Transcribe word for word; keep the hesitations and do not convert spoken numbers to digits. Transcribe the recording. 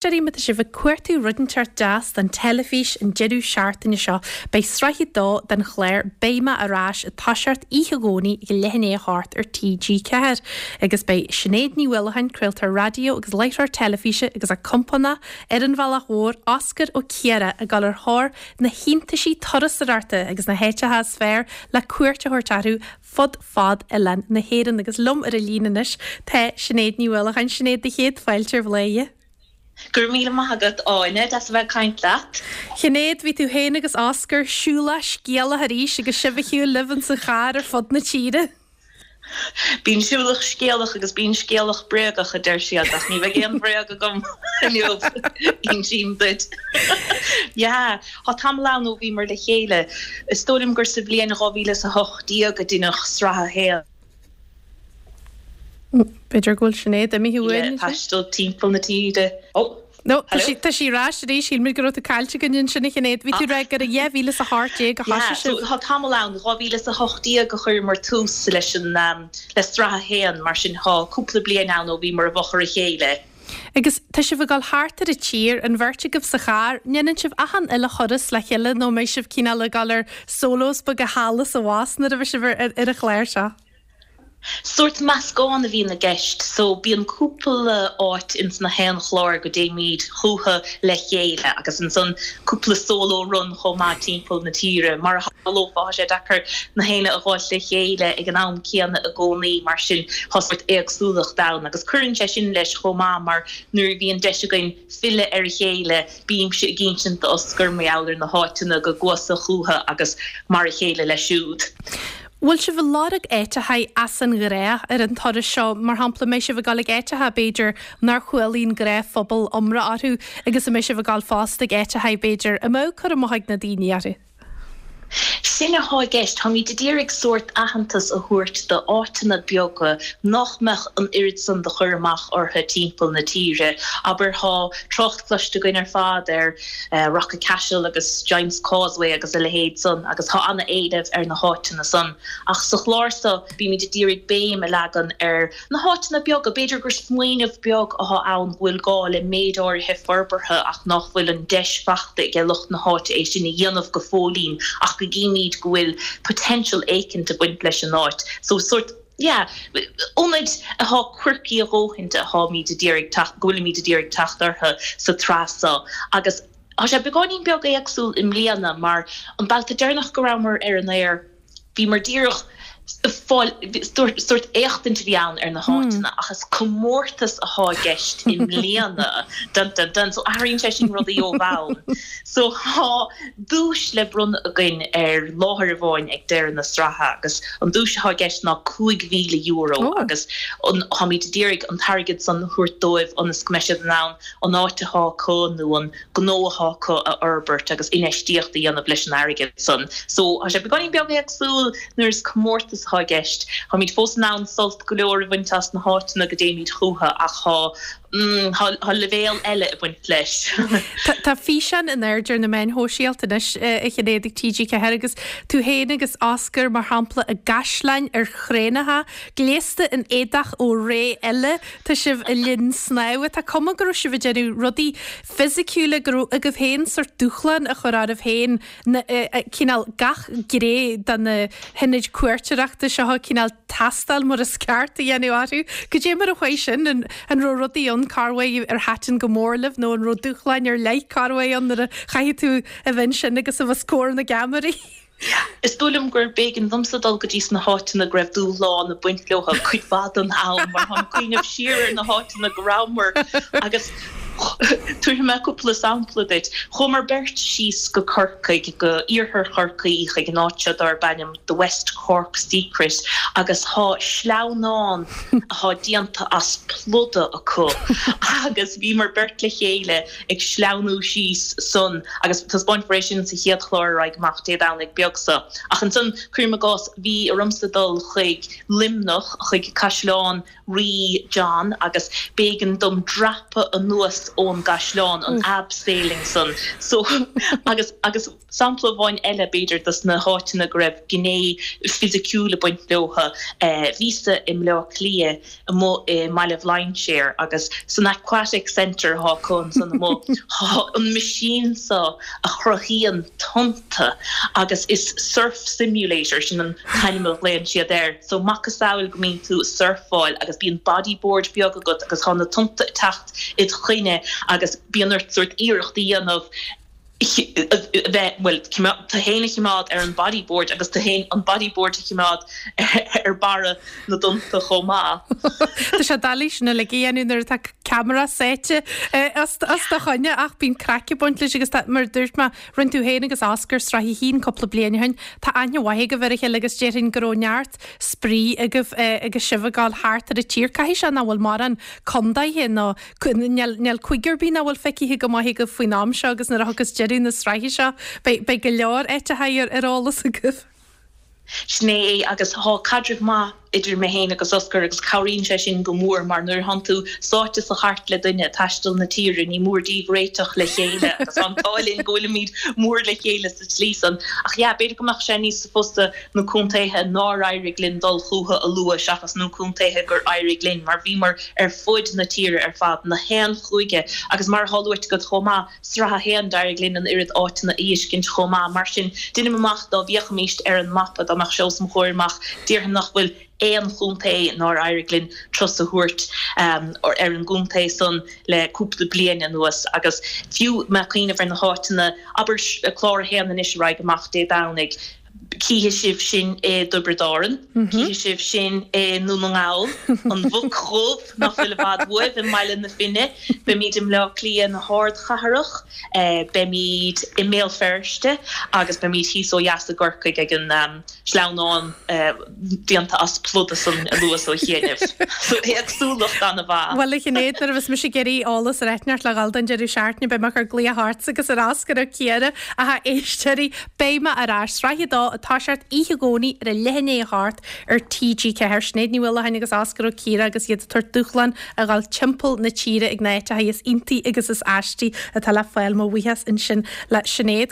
Éisteoirí, má tá sibh ag cuartú rud inteacht deas don teilifís an deireadh seachtaine seo, beidh sraith a dó den chlár Beidh Mé Ar Ais ag toiseacht oíche Dhomhnaigh ag leath i ndiaidh a hocht ar TG Ceathair. Agus beidh Sinéad Ní Uallacháin, craoltóir raidió agus láithreoir teilifíse agus a compánach ar an bhealach mhór Oscar Ó Ciardha ag dul ar thóir na hiontaisí turasóireachta agus na háiteacha is fearr le cuairt a thabhairt orthu fud fad oileán na hÉireann. Agus liom ar an líne anois tá Sinéad Ní Uallacháin. Sinéad, do chéad fáilte ar Bhladhaire. Go raibh míle maith agat Áine, deas a bheith ag caint leat. Sinéad, bhí tú féin agus Oscar siúlach scéalach arís agus sibh ar shiúl libh insa charr ar fud na tíre. Bíonn siúlach scéalach agus bíonn scéalach bréagach a deir siad ach ní bheidh aon bhréag agam inniu insím duit. Yeah, Tá tamall ann ó bhíomar le chéile. Is dóigh liom gur sa bhliain dhá mhíle is a hocht déag a deineadh sraith a haon. B'fhéidir go bhfuil Sinéad imithe uainn. Taisteal timpeall na tíre. Oh. No, tá sí tá sí ar ais arís, shíl mé go raibh tú caillte againn ansin a Shinéad. Bhí tú ag rá gur i dhá mhíle is a hocht déag a thosaigh sibh. Tá tamall ann, dhá mhíle is a hocht déag a chuireamar tús leis an le sraith a haon, mar sin tá cúpla bliain ann ó bhíomar i bhfochair a chéile. Agus tá sibh ag dul thart ar an tír, an bheirt agaibh sa charr, ndéanann sibh achan uile thuras le chéile nó an mbeidh sibh cineál ag dul ar solos beaga thall is abhus nuair a bheidh sibh ar ar an chlár seo? Sórt meascán a bhíonn i gceist so bíonn cúpla áit ins na haon chlár go dtéimid chucu le chéile agus ansan cúpla solo run chomh maith timpeall na tíre. Mar a shamhlófá, tá sé deacair na héinne a fháilt le chéile ag an am céanna i gcónaí mar sin tá sórt éagsúlacht ann agus cuireann sé sin leis chomh maith mar nuair a bhíonn deis againn filleadh ar a chéile bímse ag insint d'Oscar mar gheall ar na háiteanna go gcuasa chucu agus mar a chéile leis siúd. Bhfuil sibh ag lorg áiteacha as an ngnách ar an turas seo, mar shampla, mbeidh sibh ag dul ag áiteacha, b'fhéidir, nár chuala an gnáthphobal iomrá orthu agus an mbeidh sibh ag dul fosta ag áiteacha, b'fhéidir, a mbeadh cur amach ag na daoine orthu? Sin atá i gceist, táimid ag iarraidh sórt aitheantas a thabhairt d'áiteanna beaga nach mbeadh an oiread san de chur amach orthu timpeall na tíre. Abair tá trácht cloiste againn ar fad ar Rock of Cashel agus Giant's Causeway agus a leithéid san agus tá an-éileamh ar na háiteanna san. Ach sa chlár seo bímid ag iarraidh béim a leagan ar na háiteanna beaga, b'fhéidir gur smaoineamh beag atá ann go bhfuil gá le méid áirithe forbartha ach nach bhfuil an deis faighte ag lucht na háite é sin a dhéanamh go fóillín ach go gcímid go bhfuil potential éicint ag baint leis an áit. So sort yeah, ionaid atá quirky a dhóthain atáimid ag iarraidh go bhfuilimid ag iarraidh teacht orthu sa tsraith seo agus tá sé beagáinín beag éagsúil i mbliana mar an babhta deireanach go rabhamar ar an aer bhíomar díreach fáil sórt éachtaint a bhí ann ar na háiteanna ach is comórtas atá i gceist i mbliana dun dun dun so athraíonn sé sin rudaí ó bhonn. So tá duais le bronnadh againn ar láthair amháin ag deireadh na sraithe agus an duais atá i gceist ná cúig mhíle euro agus táimid ag iarraidh an t-airgead san a thabhairt dóibh ionas go mbeidh siad in ann an áit atá acu nó an gnó atá acu a fhorbairt agus infheistíocht a dhéanamh leis an airgead san. So tá sé beagáinín beag éagsúil nuair is comórtas atá i gceist. Táimid fós in ann sult go leor a bhaint as na háiteanna go dtéimid chucu ach tá mm, tá leibhéal eile ag baint leis. Tá físeán in airde ar na meáin shóisialta anois a Shinéad ag TG Ceathair agus tú féin agus Oscar mar shampla i gcaisleáin ar chraenacha, gléasta in éadach ó ré eile, tá sibh i linn snámha, Tá cuma go raibh sibh ag déanamh rudaí fisiciúla go raibh agaibh féin sórt dúshlán a chur oraibh féin cineál gach gné de na hionaid cuairteoireachta seo cineál tástáil mar is ceart a dhéanamh orthu. Goidé mar a chuaigh sin an raibh rudaí ann corruair ar thaitin go mór libh nó an raibh dúshláin ar leith corruair ann nuair a chaithfidh tú a bheith ansin agus a bheith os comhair na gceamaraí. Is dóigh liom gur b'éigean domsa dul go dtí sna háiteanna go raibh dúshlán ag baint leo cuid mhaith den am mar táim ag cuimhneamh siar ar na háiteanna go rabhamar agus tabharfaidh mé cúpla sampla duit. Chuamar beirt síos go Corcaigh go iarthar Chorcaí chuig an áit seo darb ainm the West Cork Secret agus tá sleamhnán atá déanta as pluda acu agus bhíomar beirt le chéile ag sleamhnú síos san agus taispeánfar é sin sa chéad chlár ar aghaidh amach Dé Domhnaigh beag seo. Ach ansan cuirim i gcás bhí ormsa dul chuig Luimneach chuig Caisleán Rí John agus b'éigean dom dreapadh anuas ón gcaisleán an abseiling san so agus agus sampla amháin eile b'fhéidir dos na háiteanna go raibh gné fisiciúil ag baint leo eh, bhíos-sa i mBleá Cliath amuigh i mBaile Bhlainséir agus san Aquatic Centre atá acu ansan amuigh tá an machine so a chruthaíonn tonnta agus is surf simulator sin an t-ainm a ghlaonn siad air so macasamhail go mbíonn tú surfáil agus bíonn bodyboard beag agat agus tá na tonnta ag teacht id choinne agus bíonn ort sórt iarracht a dhéanamh bheith bhuel tú féin a choimeád ar an bodyboard agus tú féin an bodyboard a choimeád ar barra na dtonnta chomh maith. Tá sé doiligh sin uilig a dhéanamh nuair atá ceamara sáite os do choinne ach bíonn craic ag baint leis agus mar dúirt mé rinne tú féin agus Oscar sraith a haon cúpla bliain ó shin tá aithne mhaith agaibh ar a chéile agus déarfainn go raibh neart spraoi agaibh agus sibh ag gabháil thart ar an tír caithfidh sé nach bhfuil mórán contaetha nó níl cúige ar bith nach bhfuil feicthe go maith agaibh faoin am seo agus nuair a thiocfas deireadh na sraithe seo beidh go leor áiteacha ar ar eolas agaibh. Sin é agus tá caidreamh maith idir mé féin agus Oscar agus cabhraíonn sé sin go mór mar nuair atánn tú sáite sa chairt le duine taisteal na tíre ní mór daoibh réiteach le chéile agus an t-ádh linn go bhfuilimid mór le chéile sa tslí san. Ach yeah, b'fhéidir go mbeadh sé níos fusa na contaetha nár éirigh linn dul chucu a lua seachas na contaetha gur éirigh linn, mar bhíomar ar fud na tíre ar fad na haon chúige agus mar atá luaite agat chomh maith sraith a haon d'éirigh linn an oiread áiteanna a fheiscint chomh maith mar sin deinim amach dá bhféachfaimis ar an mapa dá mbeadh sé os mo chomhair amach déarfainn nach bhfuil aon chontae nár éirigh linn turas a thabhairt um, ar an gcontae san le cúpla bliain anuas agus fiú má cuimhním ar na háiteanna abair clár a haon anois a raghaidh amach Dé Domhnaigh. Cífidh sibh sinn i dTiobraid Árann, cífidh sibh sinn i nDún na nGall, an Mhuc Dhubh nach bhfuil i bhfad uaibh i mBaile na Finne, beimid i mBleá Cliath na hardchathrach, eh, beimid i mBéal Feirste agus beimid thíos ó dheas i gCorcaigh ag an um, sleamhnán eh, déanta as pluda san anuas ó chianaibh. So éagsúlacht an-mhaith. Bhuel a Shinéad nuair a bheas mise ag iarraidh eolas ar áit inteacht le dhul don deireadh seachtaine beidh mé ag cur glaoch ortsa agus ar Oscar Ó Ciardha a éisteoirí beidh mé ar ais sraith a dó ag toiseacht oíche Dhomhnaigh ar a leath i ndiaidh a hocht ar TG Ceathair Sinéad Ní Mhaoileacháin agus Oscar Ó Ciardha agus iad ag tabhairt dúshlán a ghabháil timpeall na tíre ag na háiteacha is iontaí agus is aistí atá le fáil mo bhuíochas ansin le Sinéad.